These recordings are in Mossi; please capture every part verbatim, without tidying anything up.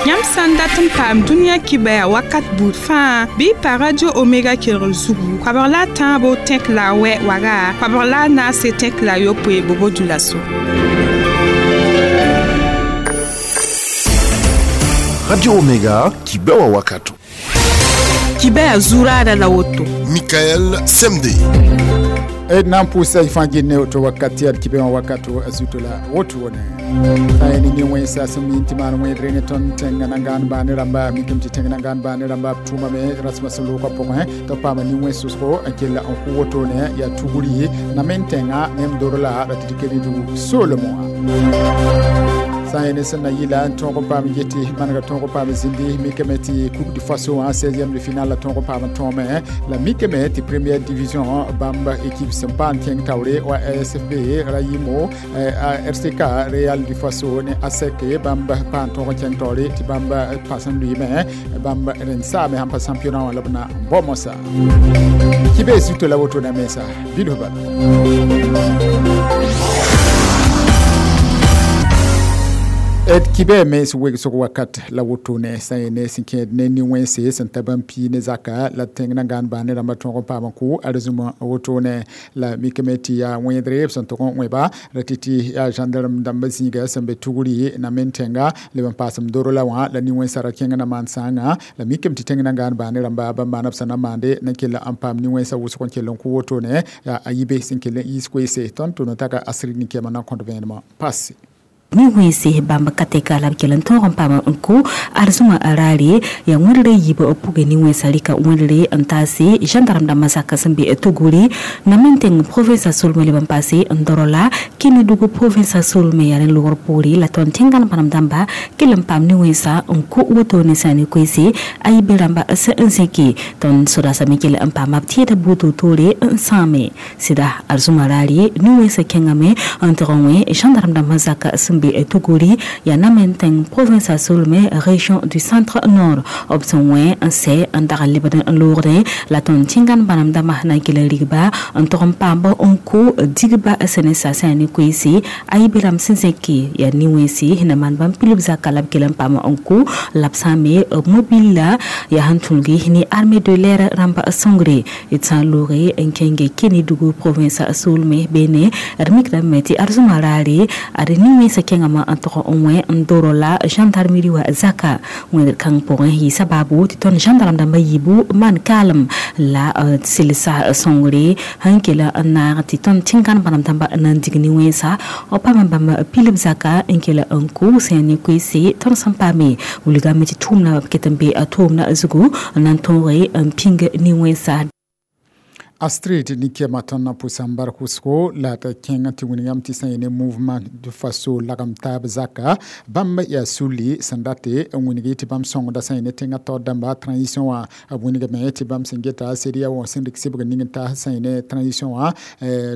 Yãmb sã n dat n paam dũniyã kibɛa wakat buud fãa bɩ y pa Radio Omega kelgr zugu koabg la a tãabo tẽk la a wɛ waga koabg la a naase tẽk la a yopoe bobo dulaso. Radio Omega kibɛwa wakato. Kibɛa zuraada la woto. Michael Semde. E nan pusa ifan ne to wakati al kibe wakato azuto la woto wone ay ni ni wensa sum ti man wen rene ton tenga nangan ba ne ramba mi kem ti tenga nangan ba ne ramba tuma me rasma solo ko poko he to pa ma ni wenso ko akela on ku woto ne ya tuguri na men tenga nem dorola la ti kedi du solo mo sã sẽn na yɩla n tõog n paam yetɩ manega tõog n paam zĩndi mikame tɩ Coupe du Faso en seizième de finale la tõog n paam n tõome la mikame tɩ première division bãmb équipe sẽn paam kẽng taoore wa A S F B Rayimo R C K Real du Faso ne A S E C bãmb paam tõog n kẽng taoore tɩ bãmb pas n lʋɩɩme bãmb rẽnd saame sãn pa championnat wã la b na n bao mosã kɩ bee zuto la woto na mensa bilf bala. Et kibe mens wegsg wakat la woto ne sã ne sẽn kẽed ne nin-wẽnse sẽn ta bãmb pii ne zaka la tẽng na gãan baa ne rãmbã tõog n paam n kʋ arzũmã woto ne la mikame tɩ yaa wẽedre b sẽn tʋg n wẽba ra tɩ tɩ yaa gendarme dãmbã zĩiga sẽn be tugri na men tẽnga leb n paasem doro la wã la nin-wẽnsã ra kẽng na maan sãanga la mikame tɩ tẽng na gãan baa ne rãmba bãmb maana b sẽn na maande na kell n paam nin-wẽnsã wʋsg n kell n kʋ woto ne yaa a yibe sẽn kell n yiis koeese tõnd tʋ no-taka asrig nin-kɛɛmã na n kõt vẽenemã passe. Ni wẽnse bãmb ka tɛka la b kell n tõog n paam n kʋ arzũmã raare yaa wẽndre yiib pʋgẽ nin-wẽnsã rɩka wẽndre n taase gendarme dãmbã zaka sẽn be Tuguri na men tẽng province Solme leb n paase n doro la Kénédougou province Solme yaa rẽ logr poore la tõnd tẽngã bãmb dãmba kell n paam nin-wẽnsã n kʋ woto ne sã ne koeese a yibe rãmba sẽn n zẽke tõnd sodaasame kell n paama b tẽeda buud toore n sãame sɩda arzũmã raare nin-wẽnsã kẽngame n tɩg n wẽ gendarme dãmbã zaka sẽn be Tuguri ya na men tẽng province Solme région du centre nord b sẽn wẽ n sɛ n dag n lebd n loogdẽ la tõnd tẽngã bãmb dãmbã na n kell n rigba n tog n paam n kʋ digba sẽn ne sasã ne koeese a yibe rãmb sẽn zẽke yaa nin-wẽnse na maan bãmb pilb zaka la b kell n paam n kʋ la b sãame mobile la yaa sẽn tũlgi ne armée de l'air rãmba sõngre d sã n looge n kẽnge Kénédougou province Solme beene d mikdame tɩ arzũmã raare ad nin-wẽnsã kẽngame n tog n wẽ n doro la gendarmerie wa zaka wẽnd kãng pʋgẽ yɩ sababu tɩ tõnd gendarme dãmbã yiibu maan kaalem la selsa sõngre sẽn kell n naag tɩ tõnd tẽngã bãmb dãmba na n dig nin-wẽnsa b paam bãmb pilb zaka n kell n kʋ sẽn ne koeese tõnd sẽn paame wilgame tɩ tʋʋmna b ket n be a tʋʋmna zugu n na n tõoge n pĩng nin-wẽnsa. Astrid ni-kɛɛmã tõnd na pʋsa n bark wʋsgo la d kẽng tɩ wilgame tɩ sã n ne mouvement du Faso lagem taab zaka bãmb yaa sulli sẽn date n wilgi tɩ bãmb sõngda sã n ne tẽngã taoor dãmba transition wã b wilgame tɩ bãmb sẽn geta CEDEAO sẽn rɩk sɩbg ning n taas sã n ne transition wã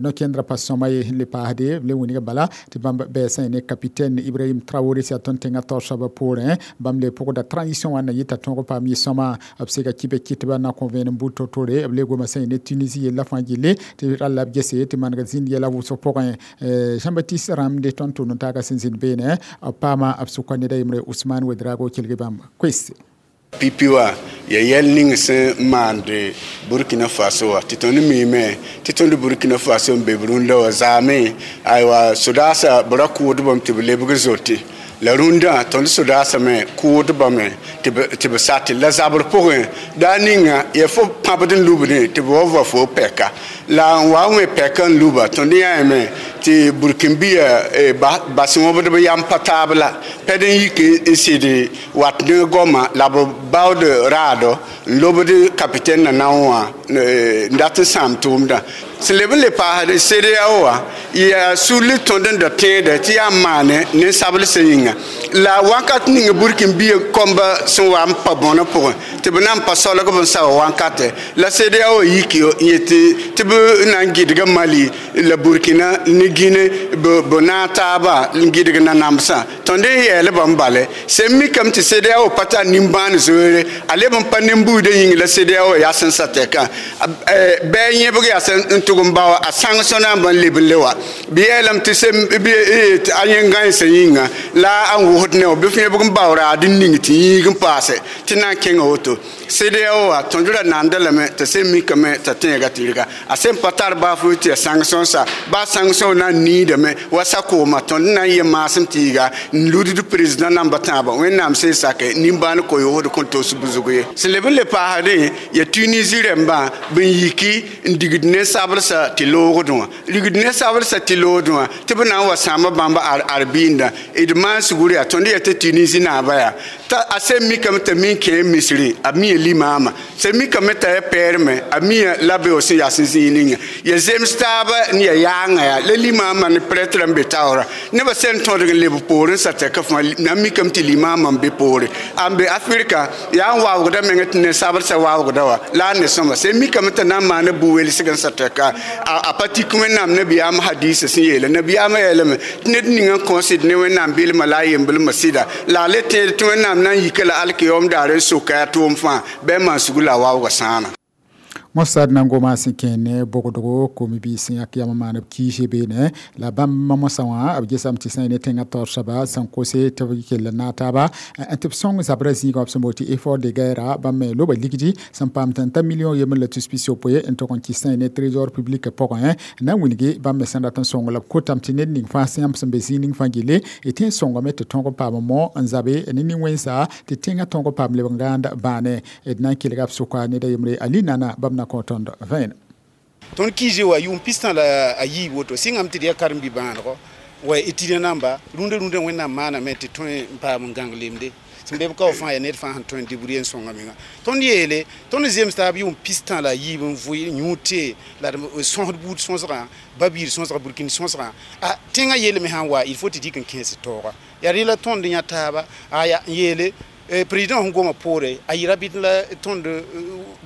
no-kẽndrã pa sõma ye le paasde b le wilg bala tɩ bãmb bɩ sã n ne capitaine Ibrahim Traoré sã tõnd tẽngã taoor soabã poorẽ bãmb le pʋgda transition wã na yɩta tõog paam yɩ-sõma b sega kibɛ kɩtba na kõ vẽenem bud to-tore b le goma sã n ne Tunisie yella fãa gilli tɩ ralla b gese tɩ maneg zĩnd yɛla wʋsg pʋgẽ Jean-Baptiste Rãmde tõnd tʋʋm n taaga sẽn zĩnd beene b paama b sʋka ned a yembre Ousmane Ouedraogo kelg bãmb koeese. Pipi wa ya yɛl ning sẽn maand Burkina Faso wã tɩ tõnd miime tɩ tõnd Burkina Faso n be b rũndã wã zaame aywa sodaasã b ra kʋʋdbame tɩ b lebg zote la rũndã tõnd sodaasã me kʋʋdbame tɩ b sate la zabr pʋgẽ daa ninga ya fo pãbd n lubdẽ tɩ b wa va fo pɛka la n wa wẽ pɛka n luba tõnd yãame tɩ burkinbiya bas wõbdb yam pa taab la pɛd n yik n sɩd wat ne goama la b baood raado n lobd capitaine na na wã n dat n sãam tʋʋmdã sẽn leb n le paasd CEDEAO wã yaa sulli tõnd n da tẽeda tɩ yaa n maane nin-sablsã yĩnga la wakat ning burkinbiya kõmba sẽn wa n pa bõnã pʋgẽ tɩ b na n pa solg b n sao wãnkate la CEDEAO yik yetɩ tɩ b na n gɩdga Mali la Burkina ne Guinée b naag taaba n gɩdg nanamsã tõnd n yɛɛl bãmb bale sẽn mikame tɩ CEDEAO pa tar nimbãan zoeere a leb n pa nin-buudã yĩng la CEDEAO yaa sẽn sa tɛkã bɩ a yẽbg yaa sẽn n tʋg n bao a sãng sõnaam n leb n le wa bɩ yeelame tɩ a yẽ gãensã yĩnga la a n wʋsd ne bɩ f yẽbg n bao raad n ning tɩ yĩig n paase tɩ na n kẽnga woto CEDEAO wã tõnd ra nanda lame t'a sẽn mikame t'a tẽega tɩrga a sẽn pa tar baaf tɩ ya sãng sõnsa baa sãng sõn na n niidame wa sa-kooma tõnd na n yẽ maasem tɩ yɩga n ludd président namba tãabã wẽnnaam sẽn sake nimbãan koyoosd kõn tos bʋzg ye sẽn leb n le paasdẽ ya Tunisie rẽmbã b n yiki n digd nen-sablsã tɩ loogdẽ wã rigd nen-sablsã tɩ loogdẽ wã tɩ b na n wa sãama bãmb ar-bɩɩnda d maan sugr yaa tõnd yaa tɩ Tunisie naaba yaa t'a a sẽn mikame t'a min kẽ misrẽ a mia limaama sẽn mikame t'a ya pɛɛrmẽ a mia la beoog sẽn yaa sẽn zĩig ninga ya zems taaba n ya yaanga yaa la limaamã ne prêtre n be taoora nebã sẽn tõdg n leb poorẽ sa tɛka fãa na n mikame tɩ limaamã n be poore a n be Afrika yaa n waoogda mengã tɩ nen-sablsã waoogda wa la a ne sõma sẽn mikame t'a na n maana bu-welsg n sa tɛka a pa tik wẽnnaam nabiyaam hadisa sẽn yeela nabiyaamã yeelame tɩ ned ning n kõsd ne wẽnnaam bilma la a yemblmã sɩda la a le tẽed tɩ wẽnnaam na n yika la alkiyoom daar n soka a tʋʋm fãa bɩ n maan sugr la a waooga sãana mosad na n goma sẽn kẽ ne bogdgo kom-biis sẽn yak yam maan b kiise beene la bãmb mosã wã b gesame tɩ sã n ne tẽngã taoor soaba sẽn kose tɩ b kell n naag taaba tɩ b sõng zabrã zĩigã b sẽn bool tɩ effort de guerre bãmb me loba ligdi sẽn paam tɩ n ta million yembr la tus pis yopoe n tog n kɩs sã ne trésor public pʋgẽ na n wilgi bãmb me sẽn dat n sõng la b kotame tɩ ned ning fãa sẽn yãmb sẽn be zĩig ning fãa gille y tẽ n sõngame tɩ tõog n paam mo n zabe ne nin-wẽnsa tɩ tẽngã tõog n paam lebg n gãand bãane d na n kelga b sʋka ned a yembre ali nana bãmb na kõ tõnd vẽenem tõnd kiise wa yʋʋm pistã la a yiib woto sɩngame tɩ d yaa karen-bi-bãadgo wa étudiant namba rũndã rũndã wẽnnaam maaname tɩ tõe n paam n gãng lemde sẽn be b kao fãa yaa ned fãa sẽn tõe n débrouiller n sõnga menga tõnd yeele tõnd zems taab yʋʋm pistã la a yiib n vʋɩ yũud tee la d sõsd buud sõsgã ba-biir sõsga burkina sõsgã a tẽngã yeelame sãn wa il faut tɩ dɩk n kẽes taooga yaa rẽ la tõnd yã taaba aya n yeele président sẽn goma poore a yɩ rabɩd la tõnd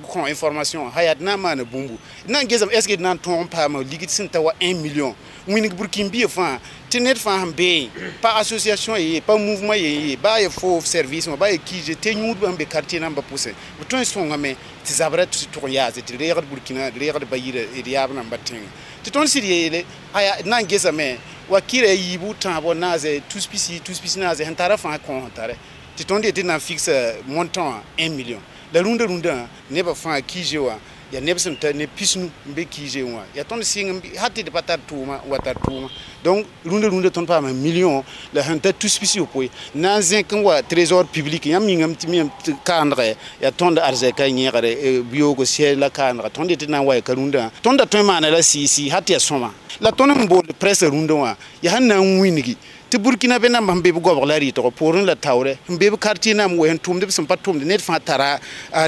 kõ information ha yaa d na n maana bũmbu d na n gesame est ce que d na n tõog n paama ligd sẽn ta wa un million wĩnig burkin bia fãa tɩ ned fãa sẽn beẽ pa association ye pa mouvement ye ye baa ye fo service wã baa ye kiise tɩ yũudbã sẽn be quartier nambã pʋsẽ b tõe n sõngame tɩ zabrã tʋg n yaase tɩ reegd burkina d reegd ba-yirã d yaab nambã tẽngã tɩ tõnd sɩd yeele aya d na n gesame wa kɩra yiibu tãabo naase tus pisi tus pisi naase sẽn tara fãa kõ sẽn tare tɩ tõnd yetɩ na n fixa montant un million la rũndã rũndã nebã fãa kiise wã yaa neb sẽn ta ne pisnu n be kiise wã yaa tõnd sɩng hal tɩ d pa tar tʋʋma wa tar tʋʋma donc rũndã rũndã tõnd paama million la sẽn ta tus pis yopoe na n zẽk n wa trésor public yãmb yĩngame tɩ miyame tɩ kaandgɛ yaa tõnd arzɛka yẽegre biyoogo sɛ la kaandga tõnd yetɩ na n wa ya ka rũndã tõnd da tõe n maana la sɩɩsɩ hal tɩ yaa sõma la tõnd sẽn bool presse rũndã wã yaa sẽn na n wĩngi tɩ burkina be namba sẽn be b goabg la rɩtgo poorẽ la taoorɛ sẽn be b quartier nam wa sẽn tʋmd b sẽn pa tʋmd ned fãa tara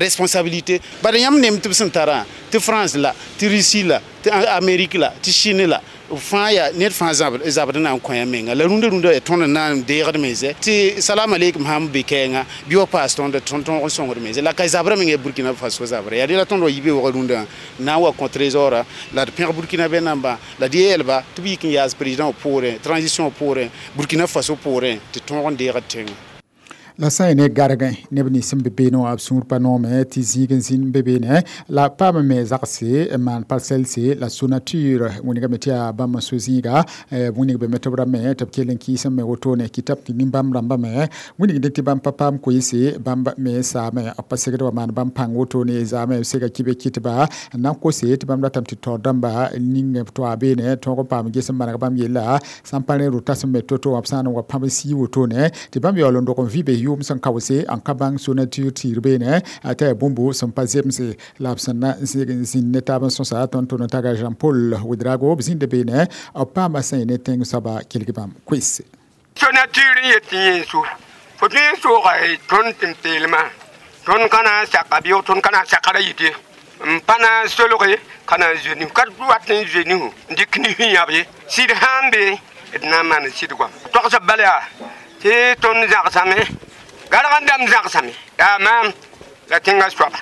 responsabilité bala yãmb nem tɩ b sẽn tarã tɩ France la tɩ Russie la tɩ Amérique la tɩ Chine la fãa yaa ned fãa zabd na n kõ ya menga la rũndã rũndã yaa tõnd n na n deegd mense tɩ salam aleikum sãn be kɛɛngã bɩ wa paas tõnd tõnd tõog n sõngd mense la ka zabrã meng yaa Burkina Faso zabrã yaa rela tõnd wa yi beoogã rũndã na n wa kõ trésor la d pẽg Burkina be nambã la d yeelba tɩ b yik n yaas président poorẽ transition poorẽ Burkina Faso poorẽ tɩ tõog n deegd tẽngã la sã n ne gargẽ neb nins sẽn be beene wã b sũur pa noome tɩ zĩig n zĩnd be beene la paam me zagse n maan parcelle la Sonatur wĩnigame tɩ yaa bãmb n so zĩiga wĩnig be me tɩ b ra me tɩ b kell n kɩɩs n me wotone kɩtab tɩ nin-bãmb rãmbã me wĩnigd tɩ bãmb pa paam koeese bãmb me saame b pa segd wa maan bãmb pãng wotone zaame b sega kibe kɩtba n na n kose tɩ bãmb ratame tɩ taoor dãmba ning b toa beene tõog n paam ges n maneg bãmb yella sã n pa rẽ rʋta sẽn me to-to wã b sã n wa pãb n sii wotone tɩ bãmb yaool n dog n vɩ be yʋʋm sẽn kaoose n ka bãng Sonatur tɩɩr beene t'a yaa bũmbu sẽn pa zemse la b sẽn na n zĩnd ne taab n sõsa tõnd tʋ taga Jean Paul Ouedraogo b zĩnda beene b paama sã ne tẽng soaba kelg bãmb koeese Sonatur n yet tɩ yẽ so fo tõe n sooga tõnd tɩ m peelmã tõnd ka na n saka bɩ tõnd ka na n sakra yɩte n pa na n solge ka na n zoe nisu ka wat n zoe nisu n dɩk nisu yãb ye sɩd sã n be d na n maan sɩd goam togsb bala yaa tɩ tõnd zãgsame garg n dãmb zãgsame yaa maam La tẽngã soaba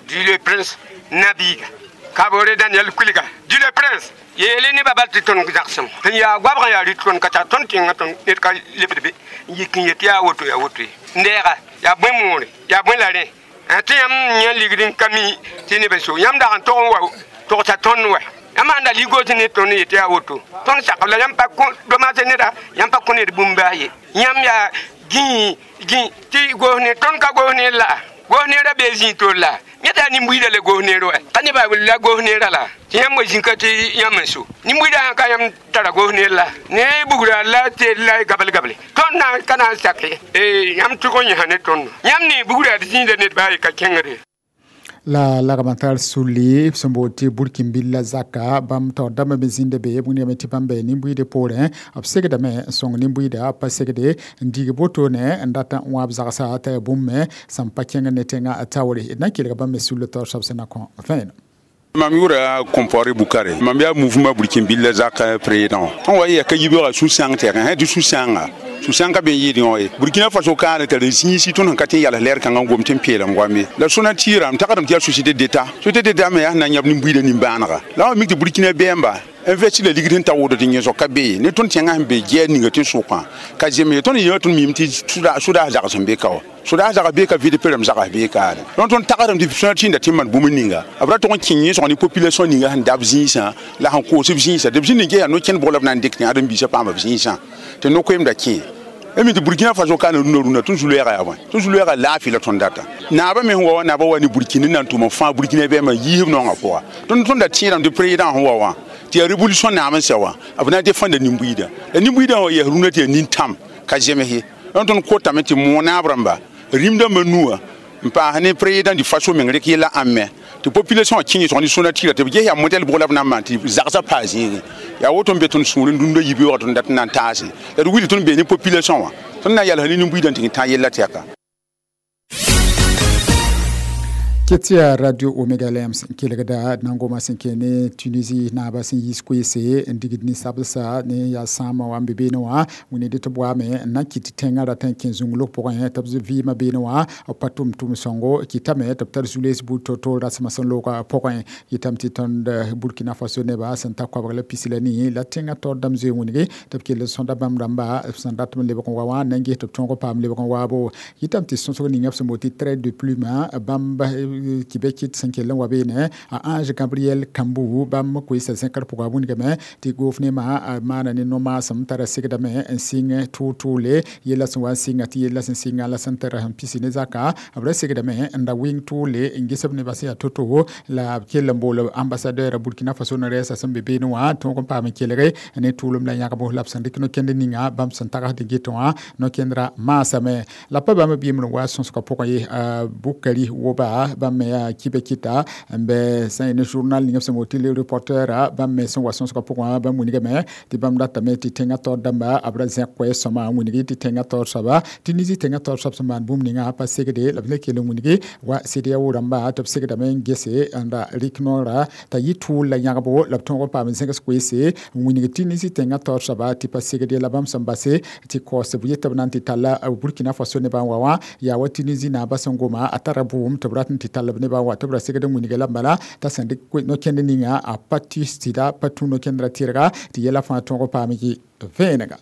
dit le prince nabiiga Kabore Daniel Kuliga dit le prince yeele nebã bal tɩ tõnd zagsem sẽn yaa goabg n yaa rɩt tõnd ka tar tõnd tẽngã tõnd ned ka lebd be n yik n yet yaa woto yaa woto ye n deega yaa bõe moore yaa bõe la rẽ tɩ yãmb yã ligd n ka mi tɩ neb n so yãmb dag n tog n wa togsa tõnd wa yãmb sãn da ligos ne tõnd yetɩ yaa woto tõnd sakb la yãmb pa domaase neda yãmb pa kõ ned bũmb baa ye yãmb yaa gĩi gĩ tɩ goos ne tõnd ka goos ne la goos neerã bee zĩig tol la yẽ t'a nin-buiidã le goos neer wa ka nebã la goos neerã la tɩ yãmb wa zĩnka tɩ yãmb n so nin-buiidã sã ka yãmb tara goos neer la ne bugra la teel la gabl-gable tõnd na n ka na n sak ye yãmb tʋg n yẽsa ne tõndo yãmb ne bugra d zĩigda ned baa ye ka kẽngre. La lagmatar suli sẽn boond tɩ burkinbil la zaka bãmb taoor dãmbã me zĩnda be b wingame tɩ bãmb be nin-buiidã poorẽ b segdame n sõng nin-buiida pa segde n dig wotone n dat n wãb zagsa t'a yaa bũmb me sẽn pa kẽng ne tẽngã taoore d na n kelga bãmb me sulla taoor soab sẽn na kõ vẽenem. Mam yʋra Compaoré Bukare mam yaa mouvement burkinbil la zak président tõnd wa yɛka yibeoogã sũ-sãng tɛk sã tɩ sũ-sãnga sũ-sãng ka be n yɩɩd yõ ye Burkina Faso kaane tara zĩisi tõnd sẽn ka tɩ n yals lɛɛr kãngã n gom tɩ n peelem goam ye la sõna tɩɩrame tagsdame tɩ yaa société d'état société d'état me yaa sẽn na n yãb nin-buiidã nin-bãanega la wa mik tɩ Burkina bɛɛmba investi la ligd sẽn ta woto tɩ yẽsg ka be ye ne tõnd tẽngã sẽn be gɛɛr ninga tɩ n sʋkã ka zems ye tõnd yã tõnd mim tɩ sʋdaas zags sẽn be ka wa sʋdaas zags bee ka vɩd perem zags bee kaane donc tõnd tagsdame tɩ sõna tɩnda tɩ n maan bũmb ninga b ra tog n kẽ yẽsg ne population ninga sẽn dab zĩisã la sẽn koos b zĩisã tɩ b zĩnd n ges yaa no-kẽnd bʋg la b na n dɩk tɩ ãdem-biisã paama b zĩisã tɩ no-koeemda kẽ mi tɩ Burkina Faso kaana rũnã rũnã tõnd zu-loɛɛga yaa bõe tõnd zu-loɛɛga laafɩ la tõnd data naabã me sẽn wa wã naabã wa ne Burkina n na n tʋm n fãa Burkina bɛɛmã yiisb naongã pʋga tõnd tõnd da tẽedame tɩ président sẽn wa wã tɩ yaa révolution naam n sɛ wã b na n défenda nin-buiidã la nin-buiidã wã yɛs rũnã tɩ yaa nin-tãm ka zems ye donc tõnd kotame tɩ moog naab rãmba rĩmdãmbã nuwã n paas ne président du Faso meng rɩk yella ãmme tɩ population wã kẽ yẽsg ne sõna tɩra tɩ b ges yaa modɛl bʋg la b na n maan tɩ zagsã paa zĩigẽ yaa woto n be tõnd sũur n dũndã yibeoogã tõnd dat n na n taase la d wilg tõnd bee ne population wã tõnd na n yalsã ne nin-buiidã n tɩ tã yella tɛka. Ketia Radio Omega Lems n kelgda d na n goma sẽn kẽ ne Tunisie naabã sẽn yiis koeese n digd ninsabdsa ne yaa sãamã wã n be beene wã wĩnde tɩ b waame n na n kɩt tɩ tẽngã rat n kẽ zũnglg pʋgẽ tɩ b vɩɩmã beene wã b pa tʋm tʋm sõngo kɩtame tɩ b tar zu-lees buud to-to rasmã sẽn loogã pʋgẽ yetame tɩ tõnd Burkina Faso nebã sẽn ta koabg la pis la nii la tẽngã taoor dãmb zoe wĩnge tɩ b kell n sõda bãmb rãmba sẽn dat n lebg n wa wã n na n ges tɩ b tõog paam lebg n waabo yetame tɩ sõsg ninga b sẽn boond tɩ trait de plume bãmb tɩ be kɩt sẽn kell n wa beene a Ange Gabriel Kambou bãmb koeesa zẽkr pʋga wĩndgame tɩ goofnemã maana ne no-maasem tara segdame n sɩng tʋʋ-tʋʋle yella sẽn wa n sɩnga tɩ yella sẽn sɩnga la sẽn tar sẽn pisi ne zaka b ra segdame n da wɩng tʋʋle n ges b nebã sẽn yaa to-to la b kell n bool ambassadeur Burkina Faso ne rɛɛsa sẽn be beene wã tõog n paam n kelge ne tʋʋlem la yãgbo la b sẽn dɩk no-kẽnd ninga bãmb sẽn tagsd n get wã no-kẽndrã maasame la pa bãmb b yembr n wa sõsgã pʋgẽ ye Bukari Woba bãmb me yaa kibe kɩta n bɛ sã n ne journal ning b sẽn boond tɩ le reporter bãmb me sẽn wa sõsgã pʋgẽ bãmb wingame tɩ bãmb datame tɩ tẽngã taoor dãmba b ra zẽk koɛɛs sõma n wingd tɩ tẽngã taoor soaba Tunisie tẽngã taoor soab sẽn maan bũmb ninga pa segde la b le kell n wingd wa CEDEAO rãmba tɩ b segdame n gese n ra rɩk noora t'a yɩ tʋʋl la yãgbo la b tõog n paam n zẽgs koeese n wingd Tunisie tẽngã taoor soaba tɩ pa segde la bãmb sẽn base tɩ kaoos b yetɩ b na n tɩ talla Burkina Faso nebã n wa wã yaa wa Tunisie naabã sẽn goma a tara bʋʋm tɩ b rat n tɩ tall b nebã n wa tɩ b ra segd n wingã la bala t'a sẽn dɩk no-kẽnd ninga a pa tɩ sɩda pa tũ no-kẽndrã tɩrga tɩ yɛla fãa tõog paam yɩ vẽenega.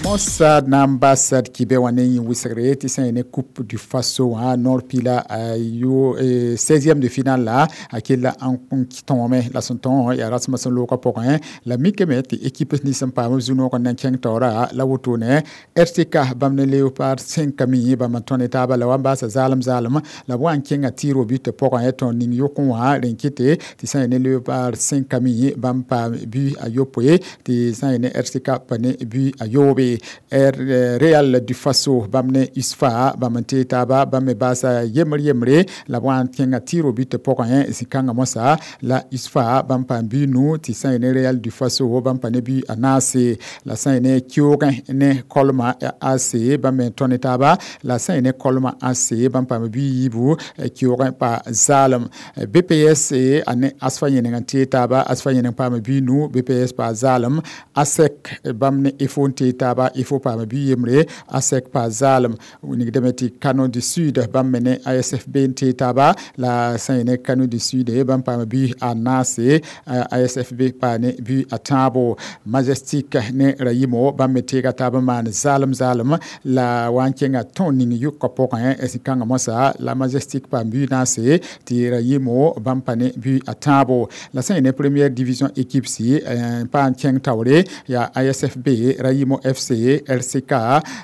Mossad na n basd kɩbe wã ne yẽ wɩsgre tɩ sã n ne Coupe du Faso wã Nord pila yo seizième de finale la a kella n tõome la sẽn tõo yaa rasmã sẽn loogã pʋgẽ la mikame tɩ équipe nins n paam b zu-noog n na n kẽng taoora la wotone R T K bãmb ne Léopard cinq mi bãmb n tõ ne taaba la wa n baasa zaalem zaalem la b wa n kẽnga tɩɩr but pʋgẽ tõr ning yʋkẽ wã rẽn kɩte tɩ sã n ne Léopard cinq mi bãmb paam bu a yopoe tɩ sã n ne R T K pa ne bu a yoobe. Real du Faso bãmb ne USFA bãmb n tee taaba bãmb me baasa yembre yembre la b wa n kẽnga tɩɩr but pʋgẽ zĩ-kãngã mosã la USFA bãmb paam bu nu tɩ sã n ne Real du Faso bãmb pa ne bu a naase la sã n ne Kioogẽ ne Kolma A C bãmb me n tõ ne taaba la sã n ne Kolma A C bãmb paam bu yiibu Kioogẽ pa zaalem B P S a ne ASFA yẽneng n tee taaba ASFA yẽneng paam bu nu B P S pa zaalem ASEC bãmb ne E F O n tee taaba taaba ifo paama bɩ yembre ASEC pa zaalem wilgdame tɩ Kano du Sud bãmb me ne A S F B n tee taaba la sã yẽ ne Kano du Sud bãmb paama bɩ a naase, A S F B paa ne bɩ a tãabo. Majestic ne Rayimo bãmb me teega taab n maan zaalem zaalem la wa n kẽnga tõog ning yʋka pʋgẽ zĩ-kãngã moasã la Majestic paam bɩ naase tɩ Rayimo bãmb pa ne bɩ a tãabo. La sã yẽ ne première division équipe si n pa n kẽng taoore yaa A S F B, Rayimo F C, R C K,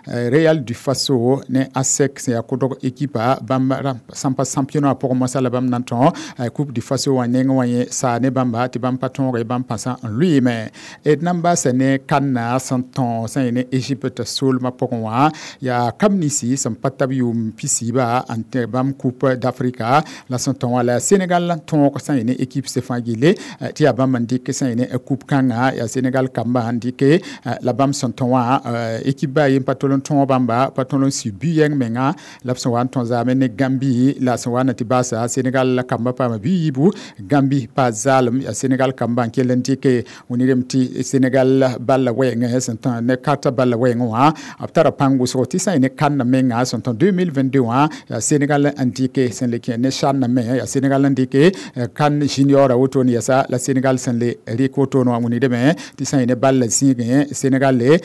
Real du Faso ne ASEC sẽn yaa kʋdg équipa bãmb sãn pa championnat pʋgẽ moasã la bãmb na n tõ Coupe du Faso wã neng wã yẽ saa ne bãmba tɩ bãmb pa tõoge bãmb pãsã n lʋɩɩme. D na n baasa ne kãnna sẽn tõ sã yẽ ne Égypte soolmã pʋgẽ wã yaa kam ninsi sẽn pa tab yʋʋm pisiiba n tẽ bãmb Coupe d'Afrique la sẽn tõ wã la Sénégal tõog sã yẽ ne équipe se fãa gille tɩ yaa bãmb n dɩk sã yẽ ne coupe kãngã yaa Sénégal kamba n dɩke la bãmb sẽn tõ wã équipe ba yen pa tol n tõog bãmba pa tõl n sɩ bu-yɛng menga la b sẽn wa n tõ zaame ne Gambi la sẽn wa na tɩ baasa Sénégal la kamba paama bɩ yiibu Gambi pa zaalem yaa Sénégal kamba n kell n dɩke wilgdame tɩ Sénégal balla wɛɛngẽ sẽn tõ ne karta balla wɛɛngẽ wã b tara pãng wʋsgo tɩ sã yẽ ne kãnna menga sẽn tõ deux mille vingt-deux wã yaa Sénégal n dɩke sẽn le kẽ ne CHAN me yaa Sénégal n dɩke CAN junior a wotone yɛsa la Sénégal sẽn le rɩk wotone wã wilgdame tɩ sã yẽ ne balla zĩigẽ Sénégal le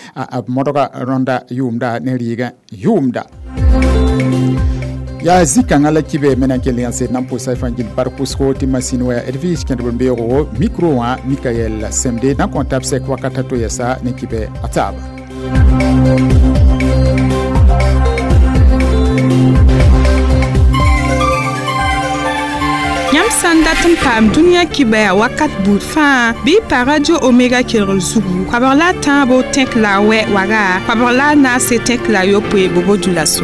b modga rõnda yʋʋmda ne rɩɩgã yʋʋmda yaa zĩ-kãngã la kibe me na n kell yã sed na n pʋsa fãa gil bark wʋsgo tɩ masin waya Edwige kẽdb n beoogo micro wã Mikael Semde na n kõn tab sɛk wakat a to yɛsa ne kibe a taaba. Yãmb sã n dat n paam dũniyã kibaya wakat buud fãa bɩ y pa Radio Omega kelgr zugu koabg la a tãabo tẽk la a wɛ waga koabg la a naase tẽk la a yopoe bobo dula so.